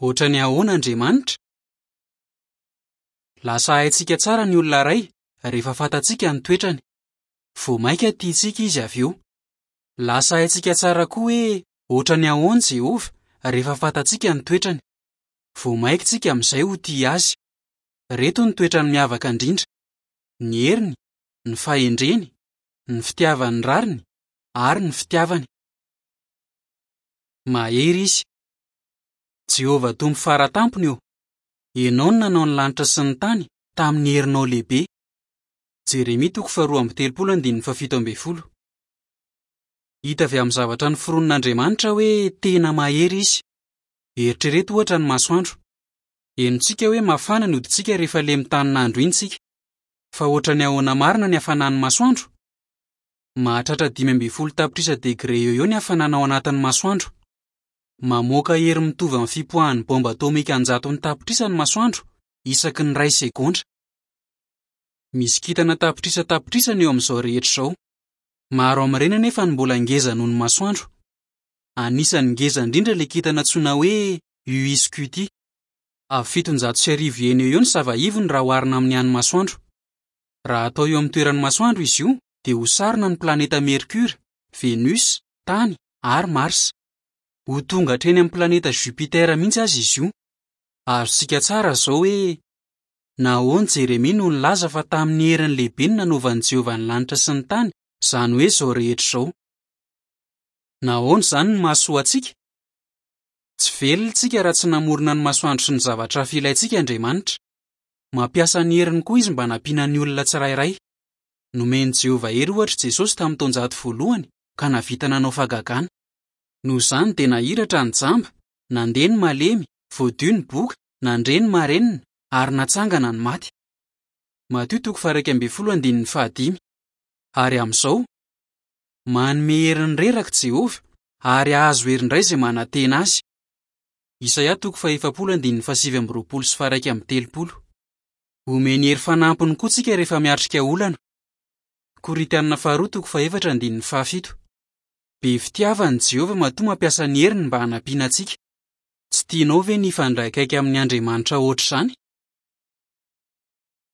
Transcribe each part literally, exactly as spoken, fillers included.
Hoatran'ny ahoana Andriamanitra? Lasa haintsika tsara ny olona iray rehefa fantatsika ny toetrany. Vao mainka tiantsika izy avy eo. Lasa haintsika tsara koa hoe hoatran'ny ahoana Jehovah rehefa fantatsika ny toetrany. Vao mainka isika amin'izay ho tia azy. Ireto ny toetrany miavaka indrindra: ny heriny, ny fahendreny, ny fitiavany rariny ary ny fitiavany. Mahery izy. Jehovah Tompo Fara Tampony ô, Ianao no nanao ny lanitra sy ny tany tamin'ny herinao lehibe. Jeremia toko faharoa amby telopolo andininy fahafito ambin'ny folo. Hita avy amin'ny zavatra noforonin'Andriamanitra hoe tena mahery izy. Eritrereto ohatra ny masoandro. Henontsika hoe mafana ny hoditsika rehefa le mitanin'andro iny isika. Fa ohatran'ny ahoana marina ny hafanan'ny masoandro? Mahatratra dimy ambin'ny folo tapitrisa degre eo eo ny hafanana ao anatin'ny masoandro. Mamoaka hery mitovy amin'ny fipoahan'ny bomba atomika an-jatony tapitrisa ny masoandro isaky ny iray segondra. Misy kintana tapitrisa tapitrisany eo amin'izao rehetra izao. Maro amin'ireny anefa no mbola ngeza noho ny masoandro. Anisan'ny ngeza indrindra ilay kintana antsoina hoe U Scuti. Avy fitonjato sy arivo eny eo eo ny sava-ivony raha oharina amin'ny an'ny masoandro. Raha atao eo amin'ny toeran'ny masoandro izy io dia ho sarona ny planeta Mercure, Venus, Tany ary Mars. Ho tonga hatreny amin'ny planeta Jupiter mihitsy aza izy io. Azontsika tsara izao hoe nahoana Jeremia no nilaza fa tamin'ny heriny lehibe no nanaovan'i Jehovah ny lanitra sy ny tany, izany hoe izao rehetra izao. Nahoana izany no mahasoa antsika? Tsy velona isika raha tsy namorona ny masoandro sy ny zavatra hafa ilaintsika Andriamanitra. Mampiasa ny heriny koa izy mba hanampiana ny olona tsirairay. Nomen'i Jehovah hery ohatra Jesosy tamin'ny taonjato voalohany ka nahavita nanao fahagagana. Noho izany dia nahiratra ny jamba, nandeha ny malemy, voadio ny boka, nandre ny marenina ary natsangana ny maty. Matio toko faha-iraika ambin'ny folo andininy fahadimy. Ary amin'izao, manome hery ny reraka Jehovah ary hahazo hery indray izay manantena azy. Isaia toko faha-efapolo andininy fahasivy amby roapolo sy faha-iraika amby telopolo. Omeny hery fanampiny koa tsika rehefa miatrika olana. Korintianina faharoa toko fahefatra andininy fahafito. Be fitiavana Jehovah matoa mampiasa ny heriny mba hanampiana antsika. Tsy tianao ve ny hifandray akaiky amin'ny Andriamanitra ohatr'izany?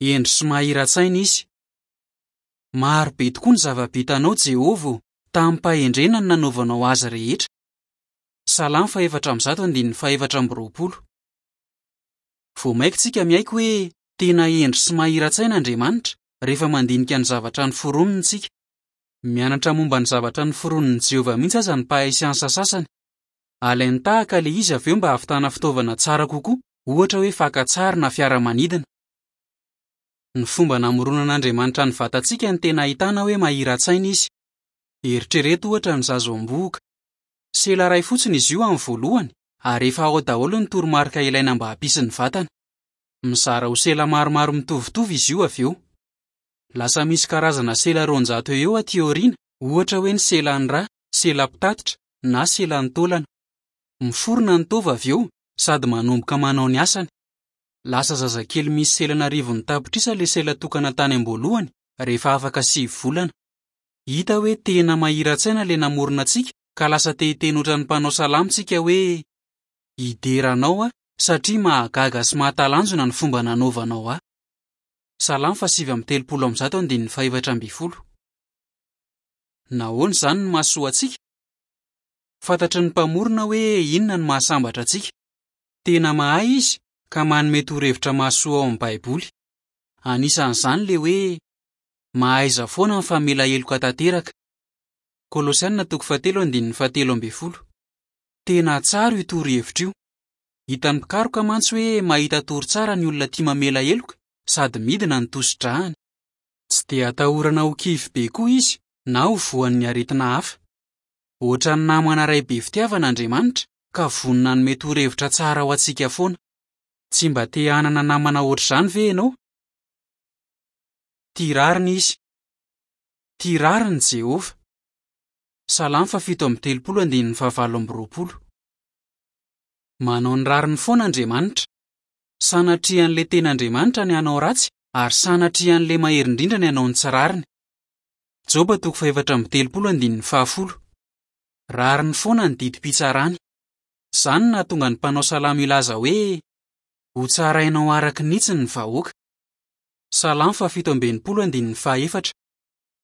Hendry sy mahira-tsaina izy. Maro be tokoa ny zava-bitanao Jehovah ô, tamim-pahendrena no nanaovanao azy rehetra. Salamo fahefatra amby zato andininy fahefatra amby roapolo. Vao mainka isika miaiky hoe tena hendry sy mahira-tsaina Andriamanitra rehefa mandinika ny zavatra noforoniny isika. Mianatra momba ny zavatra noforonin'i Jehovah mihitsy aza ny mpahay siansa sasany. Alainy tahaka ilay izy avy eo mba hahavitana fitaovana tsara kokoa, ohatra hoe fakan-tsary na fiaramanidina. Ny fomba namoronan'Andriamanitra ny vatantsika no tena ahitana hoe mahira-tsaina izy. Eritrereto ohatra ny zaza am-bohoka. Sela iray fotsiny izy io amin'ny voalohany ary efa ao daholo ny toromarika ilaina mba hampisy ny vatana. Mizara ho sela maromaro mitovitovy izy io avy eo. Lasa misy karazana sela roanjato eo eo aty aoriana, ohatra hoe ny selan'ny ra, sela-pitatitra na selan'ny taolana. Miforona ny taova avy eo sady manomboka manao ny asany. Lasa zazakely misy selana arivony tapitrisa ilay sela tokana tany am-boalohany rehefa afaka sivy volana. Hita hoe tena mahira-tsaina ilay namorona antsika ka lasa te hiteny ohatran'ny mpanao salamo isika hoe hidera anao aho satria mahagaga sy mahatalanjona ny fomba nanaovanao ahy. Salamo fahasivy amby telopolo amby zato andininy fahefatra ambin'ny folo. Nahoana izany no mahasoa antsika? Fantatry ny mpamorona hoe inona no mahasambatra antsika. Tena mahay izy ka manome torohevitra mahasoa ao amin'ny Baiboly. Anisan'izany ilay hoe mahaiza foana ny famela heloka tanteraka. Kolosiana toko fahatelo andininy fahatelo ambin'ny folo. Tena tsara io torohevitra io. Hitan'ny mpikaroka mantsy hoe mahita tory tsara ny olona tia mamela heloka sady midina ny tosi-drahany. Tsy dia atahorana ho kivy be koa izy na ho voan'ny aretina hafa. Ohatran'ny namana iray be fitiavana Andriamanitra ka vonona hanome torohevitra tsara ho antsika foana. Tsy mba te hanana namana ohatr'izany ve ianao? Tia rariny izy. Tia rariny Jehovah. Salamo fahafito amby telopolo andininy fahavalo amby roapolo. Manao ny rariny foana Andriamanitra. Sanatrian'ilay tena Andriamanitra ny hanao ratsy ary sanatrian'ilay mahery indrindra ny hanao ny tsy rariny. Joba toko fahefatra amby telopolo andininy fahafolo. Rariny foana ny didim-pitsarany. Izany no nahatonga ny mpanao salamo hilaza hoe: "Hotsarainao araka ny hitsiny ny vahoaka." Salamo fahafito amby enimpolo andininy fahaefatra.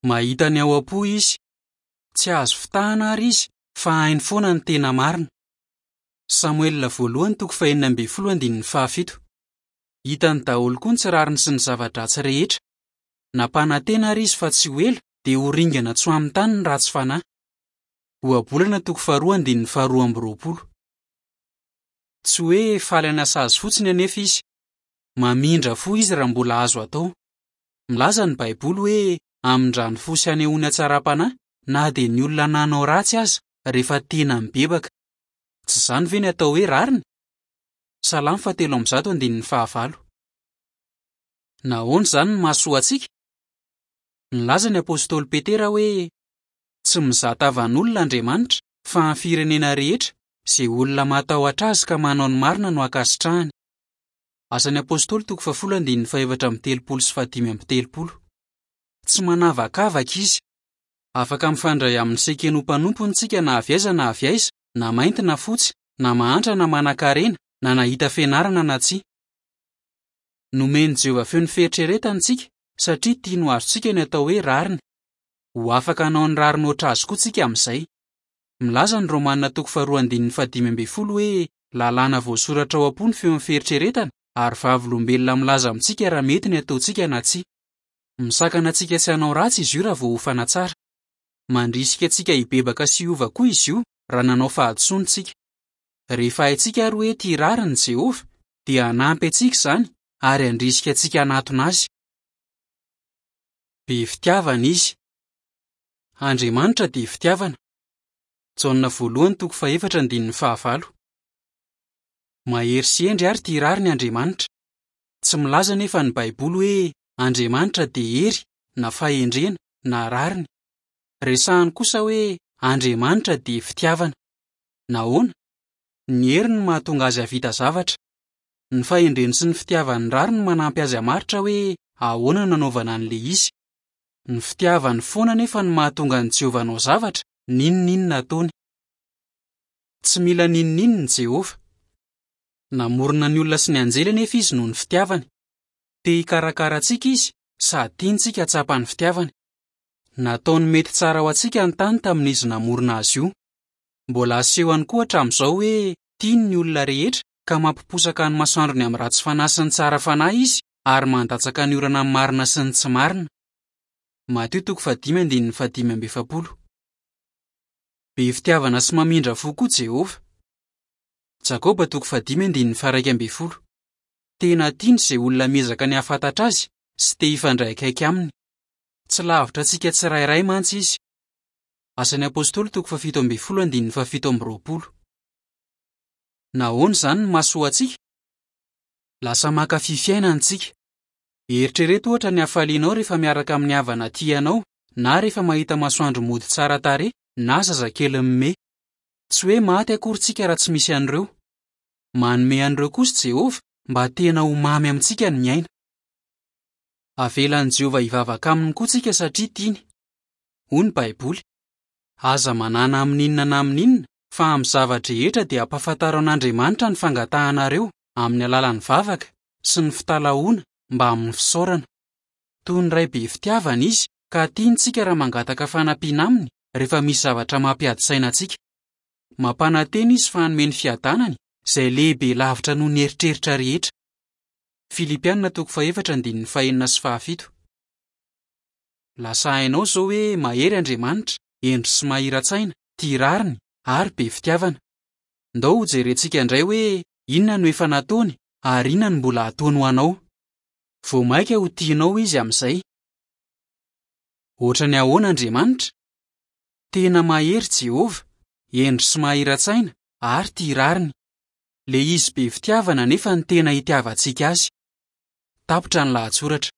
Mahita ny ao am-po izy. Tsy azo fitahana àry izy fa hainy foana ny tena marina. Samoela voalohany toko fahenina ambin'ny folo andininy fahafito. Hitany daholo koa ny tsy rariny sy ny zava-dratsy rehetra. Nampanantena àry izy fa tsy ho ela dia ho ringana tsy ho amin'ny tany ny ratsy fanahy. Ohabolana toko faharoa andininy faharoa amby roapolo. Tsy hoe faly hanasazy fotsiny anefa izy. Mamindra fo izy raha mbola azo atao. Milaza ny Baiboly hoe hamindrany fo sy hanehoany hatsaram-panahy na dia ny olona nanao ratsy aza rehefa tena mibebaka. Tsy izany ve ny atao hoe rariny? Salamo fahatelo amby zato andininy fahavalo. Nahoana izany no mahasoa antsika? Nilaza ny apostoly Petera hoe: "Tsy mizaha tavan'olona Andriamanitra fa amin'ny firenena rehetra izay olona matahotra azy ka manao ny marina no ankasitrahany." Asan'ny apostoly toko fahafolo andininy fahefatra amby telopolo sy fahadimy amby telopolo. Tsy manavakavaka izy. Afaka mifandray amin'ny sekeny ho mpanompony isika na avy aiza na avy aiza, na mainty na fotsy, na mahantra na manankarena, na nahita fianarana na tsia. Nomen'i Jehovah feo ny fieritreretana isika satria tiany ho azontsika ny atao hoe rariny. Ho afaka hanao ny rariny hoatra azy koa isika amin'izay. Milaza ny Romana toko faharoa andininy fahadimy ambin'ny folo hoe lalàna voasoratra ao am-po ny feon'ny fieritreretana ary vavolombelona milaza amintsika raha mety ny ataontsika na tsia. Misakana antsika tsy hanao ratsy izy io raha voaofana tsara. Mandrisika antsika hibebaka sy hiova koa izy io raha nanao fahadisoana isika. Rehefa haintsika ary hoe tia rariny Jehovah, dia hanampy antsika izany ary handrisika antsika hanatona azy. Be fitiavana izy. Andriamanitra dia fitiavana. Jaona voalohany toko fahefatra andininy fahavalo. Mahery sy hendry ary tia rariny Andriamanitra. Tsy milaza anefa ny Baiboly hoe Andriamanitra dia hery na fahendrena na rariny. Resahany kosa hoe Andriamanitra dia fitiavana. Nahoana? Ny hery no mahatonga azy hahavita zavatra. Ny fahendreny sy ny fitiavany rariny manampy azy hamaritra hoe ahoana no nanaovana an'ilay izy. Ny fitiavany foana anefa no mahatonga an'i Jehovah hanao zavatra n'inon'inona ataony. Tsy mila n'inon'inona Jehovah. Namorona ny olona sy ny anjely anefa izy noho ny fitiavany. Te hikarakara antsika izy sady tiantsika hahatsapa ny fitiavany. Nataony mety tsara ho antsika ny tany tamin'izy namorona azy io. Mbola asehony koa hatramin'izao hoe tiany ny olona rehetra ka mampiposaka ny masoandrony amin'ny ratsy fanahy sy ny tsara fanahy izy ary mandatsaka ny orana amin'ny marina sy ny tsy marina. Matio toko fahadimy andininy fahadimy amby efapolo. Be fitiavana sy mamindra fo koa Jehovah. Jakoba toko fahadimy andininy faha-iraika ambin'ny folo. Tena tiany izay olona miezaka ny hahafantatra azy sy te hifandray akaiky aminy. Tsy lavitra antsika tsirairay mantsy izy. Asan'ny apostoly toko fahafito ambin'ny folo andininy fahafito amby roapolo. Nahoana izany no mahasoa antsika? Lasa mankafy fiainana isika. Eritrereto ohatra ny hafalianao rehefa miaraka amin'ny havana tianao na rehefa mahita masoandro mody tsara tarehy na zazakely mimehy. Tsy hoe maty akory isika raha tsy misy an'ireo. Manome an'ireo kosa Jehovah mba tena ho mamy amintsika ny miaina. Avelan'i Jehovah hivavaka aminy koa isika satria tiany. Hoy ny Baiboly: "Aza manana amin'inona na amin'inona fa amin'ny zava-drehetra dia ampahafantaro an'Andriamanitra ny fangatahanareo amin'ny alalan'ny vavaka sy ny fitalahoana mba amin'ny fisaorana." Toy ny ray be fitiavana izy ka tiany isika raha mangataka fanampiana aminy rehefa misy zavatra mampiady saina antsika. Mampanantena izy fa hanome ny fiadanany izay lehibe lavitra noho ny eritreritra rehetra. Filipiana toko fahefatra andininy fahenina sy fahafito. Lasa hainao izao hoe mahery Andriamanitra, hendry sy mahira-tsaina, tia rariny ary be fitiavana. Ndao hojerentsika indray hoe inona no efa nataony ary inona no mbola hataony ho anao. Vao mainka ho tianao izy amin'izay. Ohatran'ny ahoana Andriamanitra? Tena mahery Jehovah, hendry sy mahira-tsaina ary tia rariny. Ilay izy be fitiavana nefa ny tena itiavantsika azy. Tapitra ny lahatsoratra.